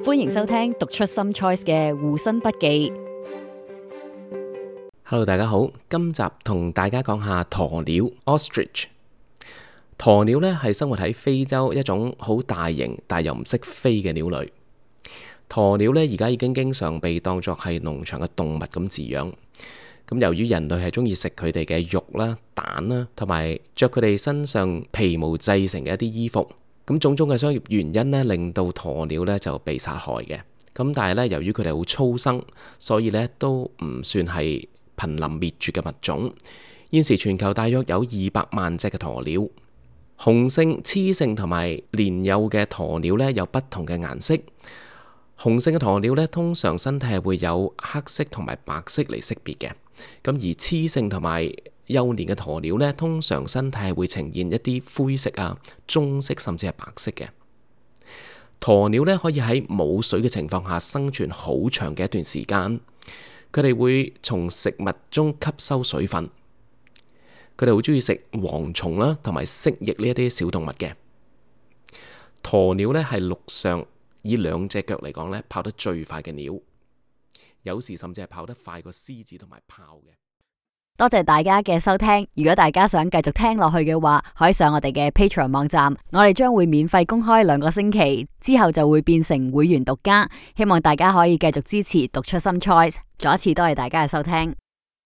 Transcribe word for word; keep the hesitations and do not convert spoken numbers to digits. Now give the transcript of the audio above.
歡迎收聽讀出心 choice 嘅護身筆記。Hello， 大家好，今集同大家講下鴕鳥 Ostrich。鴕鳥咧係生活喺非洲一種好大型但又唔識飛嘅鳥類。鴕鳥咧而家已經經常被當作係農場嘅動物咁飼養。咁由於人類係中意食佢哋嘅肉啦、蛋啦，同埋着佢哋身上皮毛製成嘅一啲衣服，咁種種嘅商業原因咧，令到鴕鳥咧就被殺害嘅。咁但係咧，由於佢哋好粗生，所以咧都唔算係瀕臨滅絕嘅物種。現時全球大約有二百萬隻嘅鴕鳥。雄性、雌性同埋年幼嘅鴕鳥咧有不同嘅顏色。雄性嘅鴕鳥咧通常身體係會有黑色同埋白色嚟識別嘅。咁而雌性同埋幼年嘅鴕鳥咧，通常身體係會呈現一啲灰色啊、棕色甚至係白色嘅。鴕鳥咧可以喺冇水嘅情況下生存好長嘅一段時間。佢哋會從食物中吸收水分。佢哋好中意食蝗蟲啦，同埋蜥蜴呢一啲小動物嘅。鴕鳥咧係陸上以兩隻腳嚟講咧跑得最快嘅鳥，有時甚至係跑得快過獅子同埋豹嘅。多謝大家嘅收聽。如果大家想繼續聽落去嘅話，可以上我哋嘅 Patreon 網站，我哋將會免費公開兩個星期，之後就會變成會員獨家。希望大家可以繼續支持讀出心 choice。再一次多謝大家嘅收聽。